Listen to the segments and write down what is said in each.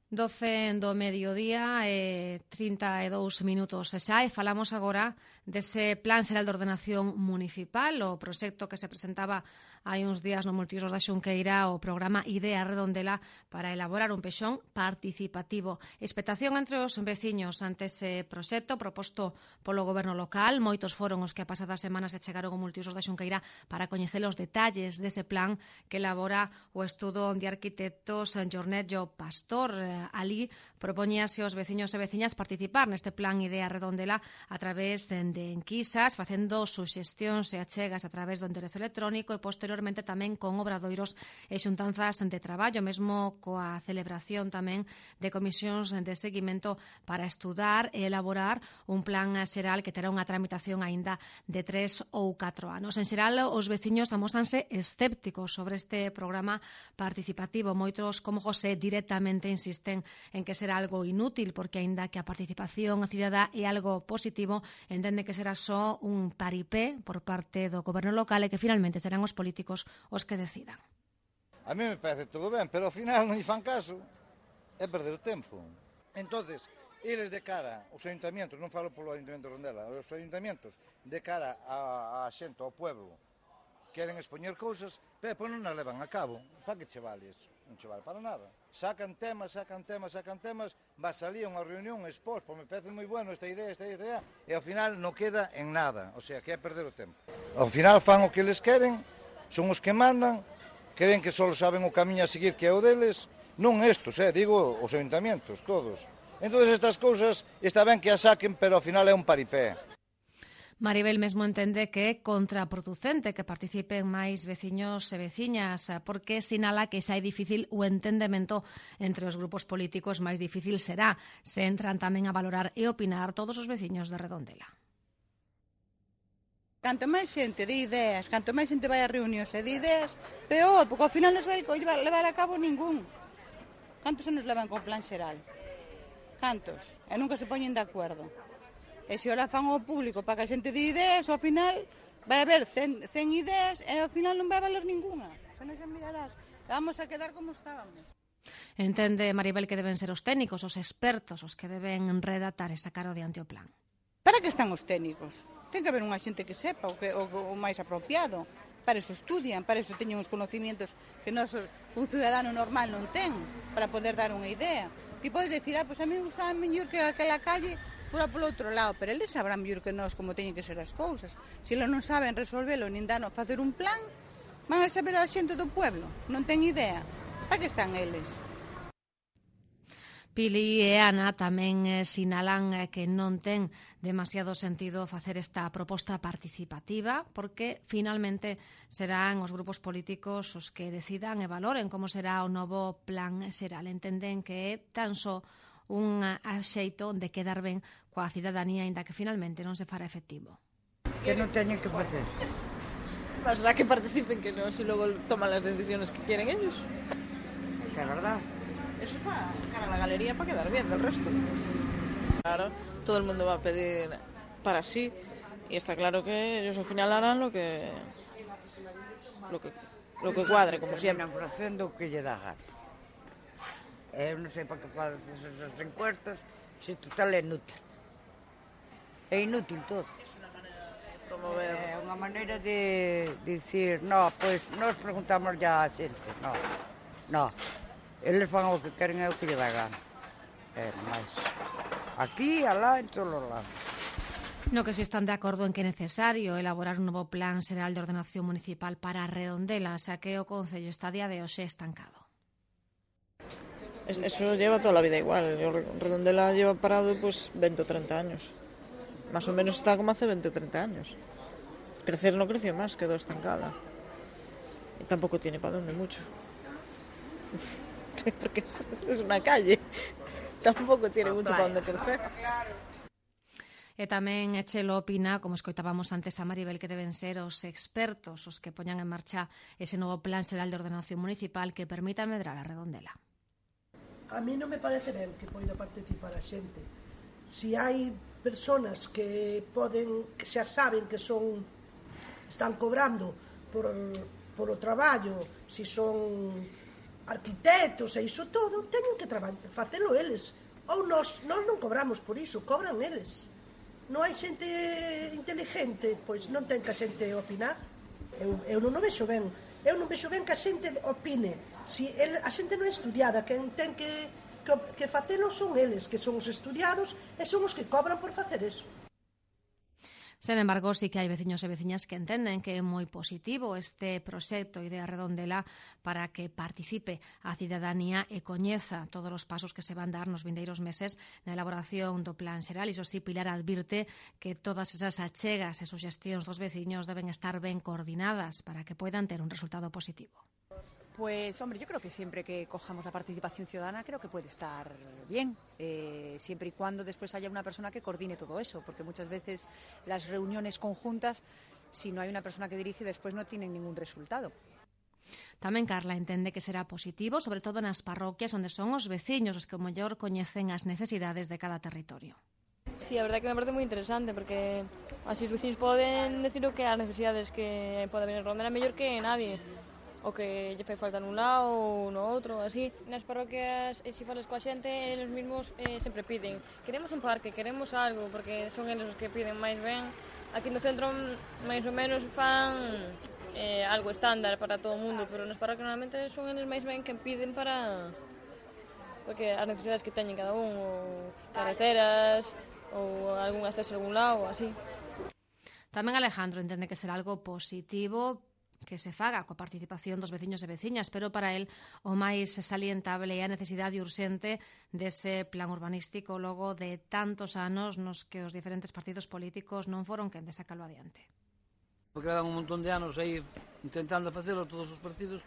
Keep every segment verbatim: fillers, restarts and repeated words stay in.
doce do mediodía e trinta e dous minutos xa e falamos agora dese Plan Xeral de Ordenación Municipal, o proxecto que se presentaba hai uns días no Multiusos da Xunqueira, o programa Idea Redondela para elaborar un pexón participativo. Expectación entre os veciños ante ese proxecto proposto polo goberno local. Moitos foron os que a pasada semana se chegaron ao Multiusos da Xunqueira para coñecer os detalles dese plan que elabora o estudo de arquitectos Jornello Pastor. Ali propoñíase aos veciños e veciñas participar neste plan Idea Redondela a través de enquisas, facendo suxestións e achegas a través do enderezo electrónico e posteriormente tamén con obradoiros e xuntanzas de traballo, mesmo coa celebración tamén de comisións de seguimento para estudar e elaborar un plan xeral que terá unha tramitación aínda de tres ou catro anos. En xeral, os veciños amósanse escépticos sobre este programa participativo. Moitos, como José, directamente insisten en que será algo inútil, porque aínda que a participación cidadá é algo positivo, entende que será só un paripé por parte do goberno local e que finalmente serán os políticos os que decidan. A mí me parece todo ben, pero ao final non lle fan caso, é perder o tempo. Entonces, eles de cara, os ayuntamientos, non falo polo Ayuntamento de Redondela, os ayuntamientos de cara a, a xente, ao pueblo, queren expoñer cousas, pero depois non as levan a cabo. Para que che vale iso? Non che vale para nada. Sacan temas, sacan temas, sacan temas, vas ali a unha reunión, expós, pois me parece moi bueno esta idea, esta idea, e ao final non queda en nada, o sea, que é perder o tempo. Ao final fan o que eles queren, son os que mandan, creen que só saben o camiño a seguir que é o deles, non estos, eh, digo os ayuntamientos, todos. Entón, estas cousas está ben que as saquen, pero ao final é un paripé. Maribel mesmo entende que é contraproducente que participen máis veciños e veciñas, porque sinala que xa é difícil o entendemento entre os grupos políticos, máis difícil será se entran tamén a valorar e opinar todos os veciños de Redondela. Canto máis xente de ideas, canto máis xente vai a reunións e de ideas, peor, porque ao final non se vai levar a cabo ningún. Cantos anos levan con plan xeral? Cantos? E nunca se poñen de acordo. E se ora fan ao público para que a xente de ideas, ao final vai haber cen, cen ideas e ao final non vai valer ninguna. Xa non xa mirarás. Vamos a quedar como estábamos. Entende Maribel que deben ser os técnicos, os expertos, os que deben redactar e sacar adiante o plan. Para que están os técnicos? Ten que haber unha xente que sepa o, que, o, o máis apropiado. Para eso estudian, para eso teñen os conocimientos que nos, un ciudadano normal non ten, para poder dar unha idea. Ti podes decir, ah, pois a mí me gustaba mellor que aquela calle fora polo outro lado, pero eles sabrán mellor que nós como teñen que ser as cousas. Se eles non saben resolvelo, nin dan a facer un plan, van a saber a xente do pueblo, non ten idea. Para que están eles? Pili e Ana tamén eh, sinalan eh, que non ten demasiado sentido facer esta proposta participativa, porque finalmente serán os grupos políticos os que decidan e valoren como será o novo plan xeral. Entenden que é tan só un axeito de quedar ben coa cidadanía, aínda que finalmente non se fará efectivo. Que non teñen que facer. Mas da que participen que non, si logo toman as decisiones que quieren ellos. Que é verdad. Eso es para cara a la galería, para quedar bien del resto. Claro, todo el mundo va a pedir para sí y está claro que ellos al final harán lo que lo que lo que cuadre, como siempre. Terminan facendo o que lle dá gana. Eu non sei para que faces esas encuestas, se total é inútil. É inútil todo. Promover. É unha maneira de dicir, no, pois pues, nos preguntamos ya a xente, no, no. Eles fan o que queren e o que lle dá gana. É máis. Aquí, alá, en todos os lados. No que si están de acordo en que é necesario elaborar un novo plan xeral de ordenación municipal para Redondela, xa que o Concello está a día de hoxe estancado. Eso lleva toda la vida igual. Redondela lleva parado pues veinte o treinta años. Más o menos está como hace veinte o treinta años. Crecer no creció más, quedó estancada. Y tampoco tiene para dónde mucho. Porque es una calle, tampouco tiene mucho para onde crecer. E tamén Echelo opina, como escoitábamos antes a Maribel, que deben ser os expertos os que poñan en marcha ese novo plan xeral de ordenación municipal que permita medrar a Redondela. A mí non me parece ben que poida participar a xente. Si hai personas que poden, que xa saben que son, están cobrando por, por o traballo, si son arquitectos e iso todo, teñen que facelo eles. Ou nós, nós non cobramos por iso, cobran eles. Non hai xente inteligente, pois non ten que a xente opinar. Eu, eu non o vexo ben. Eu non vexo ben que a xente opine. Si el, a xente non é estudiada, quen ten que, que, que facelo son eles, que son os estudiados e son os que cobran por facer eso. Sen embargo, sí que hai veciños e veciñas que entenden que é moi positivo este proxecto Idea Redondela para que participe a cidadanía e coñeza todos os pasos que se van dar nos vindeiros meses na elaboración do Plan Xeral. Iso sí, Pilar advirte que todas esas achegas e suxestións dos veciños deben estar ben coordinadas para que poidan ter un resultado positivo. Pues, hombre, yo creo que siempre que cojamos la participación ciudadana creo que puede estar bien, eh, siempre y cuando después haya una persona que coordine todo eso, porque muchas veces las reuniones conjuntas, si no hay una persona que dirige, después no tienen ningún resultado. Tamén Carla entende que será positivo, sobre todo nas parroquias onde son os veciños os que o mellor coñecen as necesidades de cada territorio. Sí, a verdade que me parece moi interesante, porque así os veciños poden decir o que as necesidades que pode haber en Redondela mellor que nadie. O que lle fai falta nun lado ou no outro, así. Nas parroquias, e se falas coa xente, eles mesmos eh, sempre piden queremos un parque, queremos algo, porque son eles os que piden máis ben. Aquí no centro, máis ou menos, fan eh, algo estándar para todo o mundo, pero nas parroquias normalmente son eles máis ben que piden para porque as necesidades que teñen cada un, ou carreteras, ou algún acceso a algún lado, ou así. Tamén Alejandro entende que será algo positivo que se faga coa participación dos veciños e veciñas, pero para el o máis salientable é a necesidade urxente dese plan urbanístico logo de tantos anos nos que os diferentes partidos políticos non foron quen de sacalo adiante. Porque eran un montón de anos aí intentando facelo todos os partidos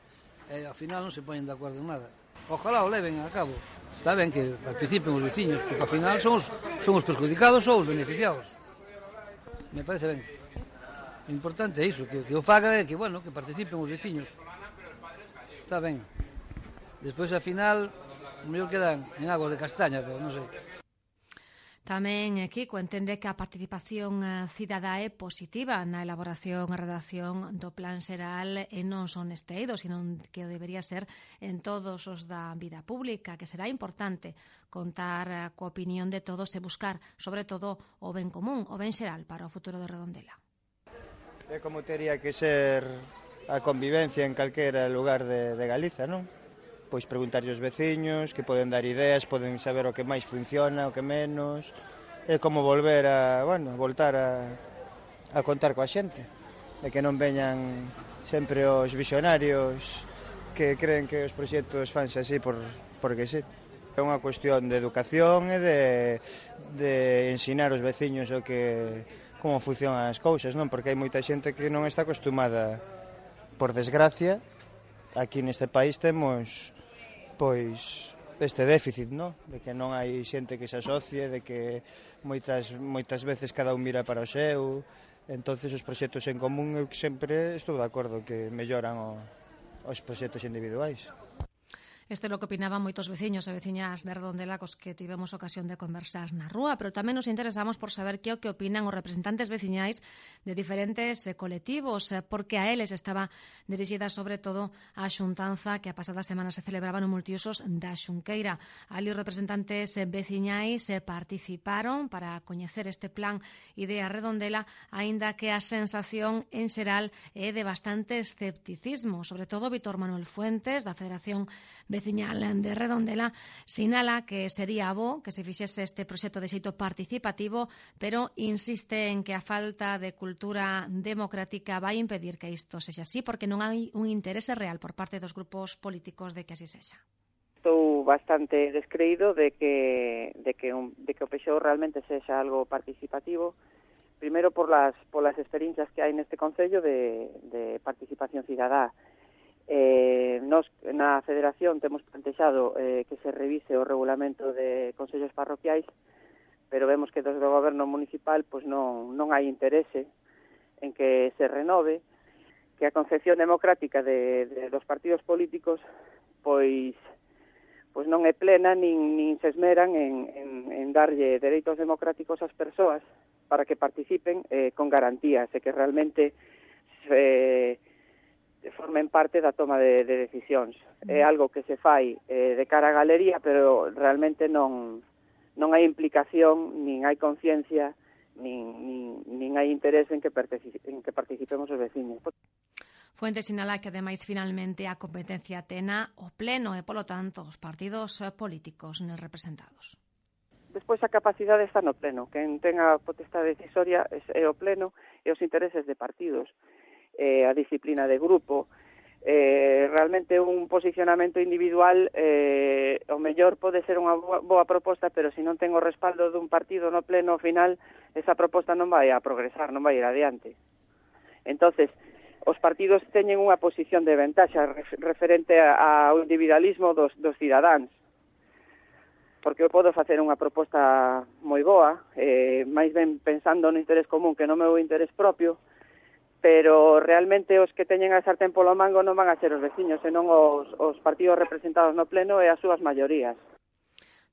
e ao final non se poñen de acordo en nada. Ojalá o leven a cabo. Está ben que participen os veciños, porque ao final son os, son os perjudicados ou os beneficiados. Me parece ben. O importante é iso, que, que o faga é que, bueno, que participen os veciños. Está ben. Despois, ao final, o mellor quedan en aguas de castaña, pero non sei. Tamén Kiko entende que a participación cidadá é positiva na elaboración e redacción do Plan Xeral e non son neste eido, sino que o debería ser en todos os da vida pública, que será importante contar coa opinión de todos e buscar, sobre todo, o ben común, o ben xeral para o futuro de Redondela. É como tería que ser a convivencia en calquera lugar de, de Galiza, non? Pois preguntarlle aos veciños, que poden dar ideas, poden saber o que máis funciona, o que menos. É como volver a, bueno, voltar a, a contar coa xente. E que non veñan sempre os visionarios que creen que os proxectos fanse así por, porque sí. É unha cuestión de educación e de, de ensinar aos veciños o que como funcionan as cousas, non? Porque hai moita xente que non está acostumada, por desgracia, aquí neste país temos pois este déficit, non? De que non hai xente que se asocie, de que moitas moitas veces cada un mira para o seu. Entonces os proxectos en común eu sempre estou de acordo que melloran o, os proxectos individuais. Este é o que opinaban moitos veciños e veciñas de Redondela cos que tivemos ocasión de conversar na rúa, pero tamén nos interesamos por saber que o que opinan os representantes veciñais de diferentes colectivos, porque a eles estaba dirixida sobre todo a xuntanza que a pasada semana se celebraba no Multiusos da Xunqueira. Ali os representantes veciñais participaron para coñecer este plan Idea Redondela, aínda que a sensación en xeral é de bastante escepticismo, sobre todo Víctor Manuel Fuentes, da Federación Veciñal de Redondela, sinala que sería bo que se fixese este proxecto de xeito participativo, pero insiste en que a falta de cultura democrática vai impedir que isto sexa así, porque non hai un interese real por parte dos grupos políticos de que así sexa. Estou bastante descreído de que, de que, un, de que o P X O E realmente sexa algo participativo, primeiro por las, por las experiencias que hai neste Concello de, de participación cidadá. Eh, nos na Federación temos plantexado eh, que se revise o regulamento de consellos parroquiais, pero vemos que desde o goberno municipal pois non, non hai interese en que se renove, que a concepción democrática de, de dos partidos políticos pois pois non é plena nin, nin se esmeran en, en, en darlle dereitos democráticos ás persoas para que participen eh, con garantías e que realmente se formen parte da toma de, de decisións. É algo que se fai eh, de cara á galería, pero realmente non, non hai implicación, nin hai conciencia, nin, nin, nin hai interés en que, en que participemos os veciños. Fuente sinala que, ademais, finalmente a competencia tena o pleno e, polo tanto, os partidos políticos nos representados. Despois a capacidade está no pleno. Quen ten a potestade decisoria é o pleno e os intereses de partidos. Eh, a disciplina de grupo, eh, realmente un posicionamento individual eh, o mellor pode ser unha boa, boa proposta, pero se non ten o respaldo dun partido no pleno, ao final esa proposta non vai a progresar, non vai ir adiante. Entonces, os partidos teñen unha posición de ventaxa referente ao individualismo dos, dos cidadáns, porque eu podo facer unha proposta moi boa, eh, máis ben pensando no interés común que no meu interés propio, pero realmente os que teñen a sartén polo mango non van a ser os veciños, senón os, os partidos representados no pleno e as súas maiorías.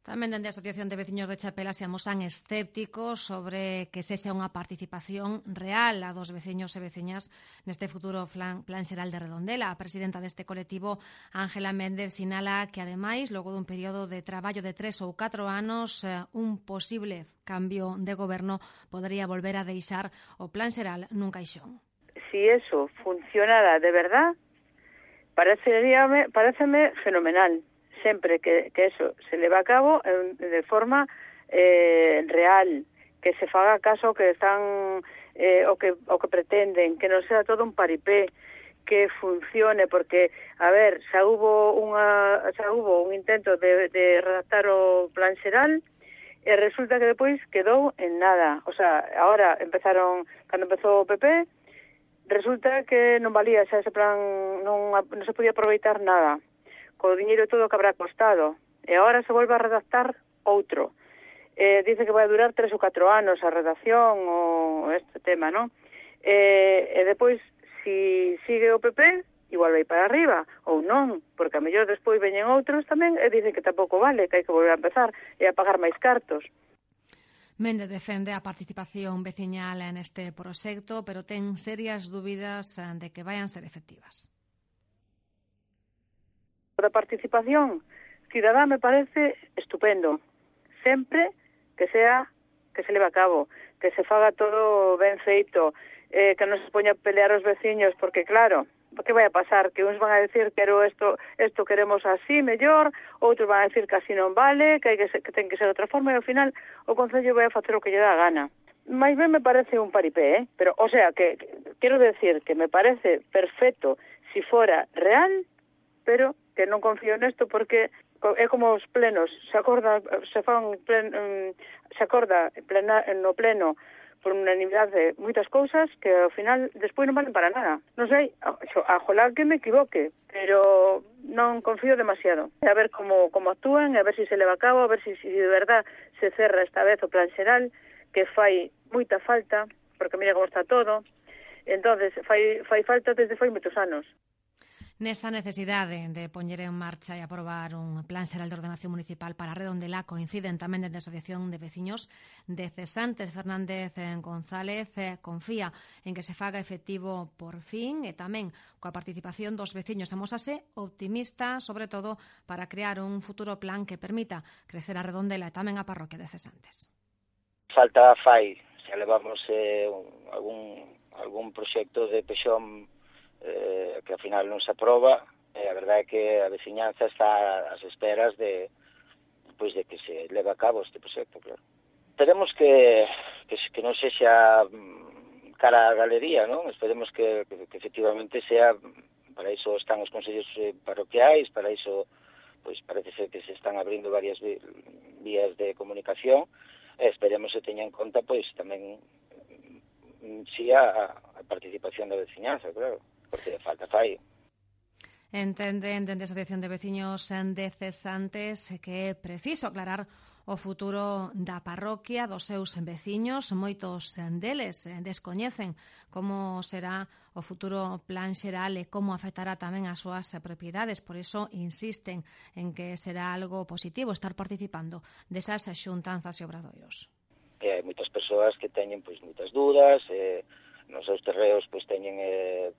Tamén dende a Asociación de Veciños de Chapela se amosan escépticos sobre que sexa unha participación real a dos veciños e veciñas neste futuro plan, plan xeral de Redondela. A presidenta deste colectivo, Ángela Méndez, sinala que, ademais, logo dun período de traballo de tres ou catro anos, un posible cambio de goberno podería volver a deixar o plan xeral nun caixón. Si eso funcionara de verdad, pareceríame, pareceme fenomenal. Sempre que, que eso se leva a cabo de forma eh, real, que se faga caso que están eh, o que o que pretenden, que non sea todo un paripé, que funcione, porque a ver, xa hubo unha xa hubo un intento de, de redactar o plan xeral e resulta que depois quedou en nada. O sea, ahora empezaron, cando empezou o P P, resulta que non valía xa ese plan, non, non se podía aproveitar nada, co diñeiro todo que habrá costado, e agora se volve a redactar outro. Eh, dice que vai durar tres ou catro anos a redacción ou este tema, non? Eh, e depois, si sigue o P P, igual vai para arriba, ou non, porque a mellor despois veñen outros tamén e dicen que tampouco vale, que hai que volver a empezar e a pagar máis cartos. Méndez defende a participación veciñal neste proxecto, pero ten serias dúbidas de que vayan ser efectivas. A participación cidadá me parece estupendo, sempre que sea que se leve a cabo, que se faga todo ben feito, eh, que non se poña a pelear os veciños, porque claro, que vai a pasar? Que uns van a decir que esto, esto queremos así, mellor, outros van a decir que así non vale, que, hai que, ser, que ten que ser de outra forma, e ao final o Concello vai a facer o que lle dá a gana. Mais ben me parece un paripé, eh? Pero, o sea, que, que quero decir que me parece perfecto si fora real, pero que non confío nesto porque é como os plenos, se acorda, se fan plen, um, se acorda plena, no pleno por unanimidade moitas cousas que ao final despois non valen para nada. Non sei, ajolá que me equivoque, pero non confío demasiado. A ver como, como actúan, a ver se si se leva a cabo, a ver se si, si de verdad se cerra esta vez o plan xeral, que fai moita falta, porque mira como está todo. Entonces fai, fai falta desde fai moitos anos. Nesa necesidade de poñer en marcha e aprobar un plan xeral de ordenación municipal para Redondela coinciden tamén dende a Asociación de Veciños de Cesantes. Fernández González confía en que se faga efectivo por fin e tamén coa participación dos veciños. Amósase optimista, sobre todo, para crear un futuro plan que permita crecer a Redondela e tamén a parroquia de Cesantes. Falta fai, xa levamos eh, algún, algún proxecto de Pexón Eh, que ao final non se aproba, e a verdade é que a veciñanza está ás esperas de, pois, de que se leve a cabo este proxecto, claro. Esperemos que, que, que non sexa cara á galería, non? Esperemos que, que, que efectivamente sea, para iso están os consellos parroquiais, para iso, pois parece ser que se están abrindo varias vías de comunicación, e esperemos que teña en conta, pois, tamén si a, a participación da veciñanza, claro. Porque falta fai. Entenden dende a Asociación de Veciños de Cesantes que é preciso aclarar o futuro da parroquia, dos seus veciños. Moitos deles descoñecen como será o futuro plan xeral e como afectará tamén as súas propiedades. Por iso insisten en que será algo positivo estar participando desas xuntanzas e obradoiros. E hai moitas persoas que teñen pois moitas dúdas, e nos seus terreos pois teñen eh,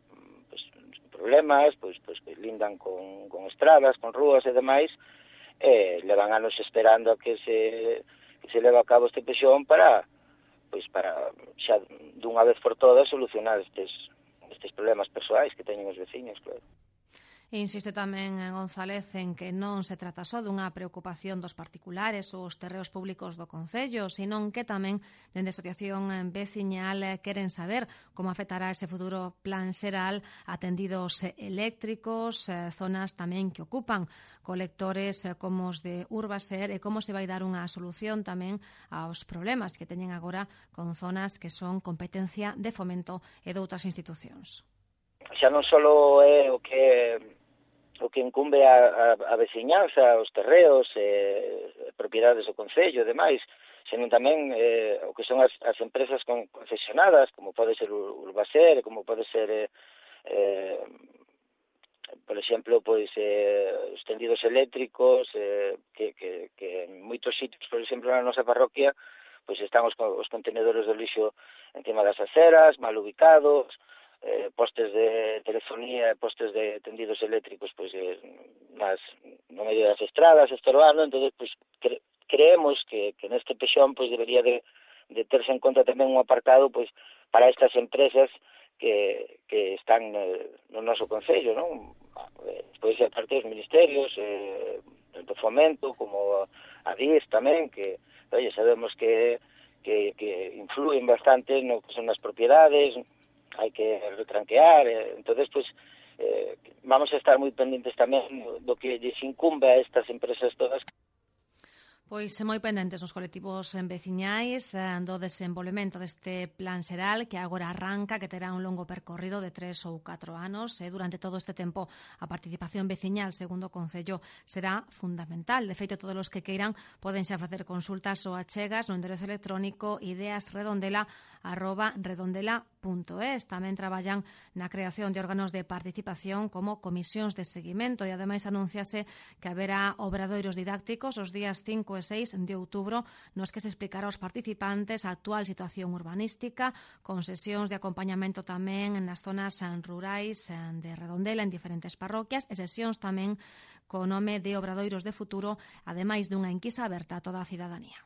pues, problemas, pois, pois que lindan con, con estradas, con rúas e demais, e levan anos esperando a que se, que se leva a cabo este pexón para, pois, para xa dunha vez por todas solucionar estes, estes problemas persoais que teñen os veciños, claro. Insiste tamén González en que non se trata só dunha preocupación dos particulares ou os terreos públicos do Concello, senón que tamén dende a Asociación Veciñal queren saber como afectará ese futuro plan xeral a tendidos eléctricos, zonas tamén que ocupan colectores como os de Urbaser, e como se vai dar unha solución tamén aos problemas que teñen agora con zonas que son competencia de Fomento e de outras institucións. Xa non só é o que o que incumbe a, a, a veciñanza, os terreos, eh, propiedades do Concello e demais, senón tamén eh, o que son as, as empresas con, concesionadas, como pode ser o Urbaser, como pode ser, eh, eh, por exemplo, pois eh, os tendidos eléctricos, eh, que, que, que en moitos sitios, por exemplo, na nosa parroquia, pois están os, os contenedores do lixo encima das aceras, mal ubicados, Eh, postes de telefonía, postes de tendidos eléctricos pois eh, nas, no medio das estradas, estorbando. Entonces, pois, cre, creemos que, que neste pexón pois, debería de, de terse en conta tamén un apartado pois, para estas empresas que, que están eh, no noso Concello, non? Pois, aparte dos ministerios, eh, tanto Fomento como a D I S tamén, que oye, sabemos que, que, que influen bastante no que son as propiedades, hai que retranquear, eh, entonces pues eh, vamos a estar moi pendentes tamén do que lles incumbe a estas empresas todas. Pois moi pendentes nos colectivos veciñais do desenvolvemento deste plan xeral que agora arranca, que terá un longo percorrido de tres ou catro anos, e durante todo este tempo a participación veciñal, segundo o Concello, será fundamental. De feito, todos os que queiran poden xa facer consultas ou achegas no enderezo electrónico ideasredondela arroba redondela punto es. Tamén traballan na creación de órganos de participación como comisións de seguimento, e ademais anunciase que haberá obradoiros didácticos os días cinco e seis de outubro nos que se explicará aos participantes a actual situación urbanística, con sesións de acompañamento tamén nas zonas rurais de Redondela en diferentes parroquias, e sesións tamén co nome de Obradoiros de Futuro, ademais dunha enquisa aberta a toda a cidadanía.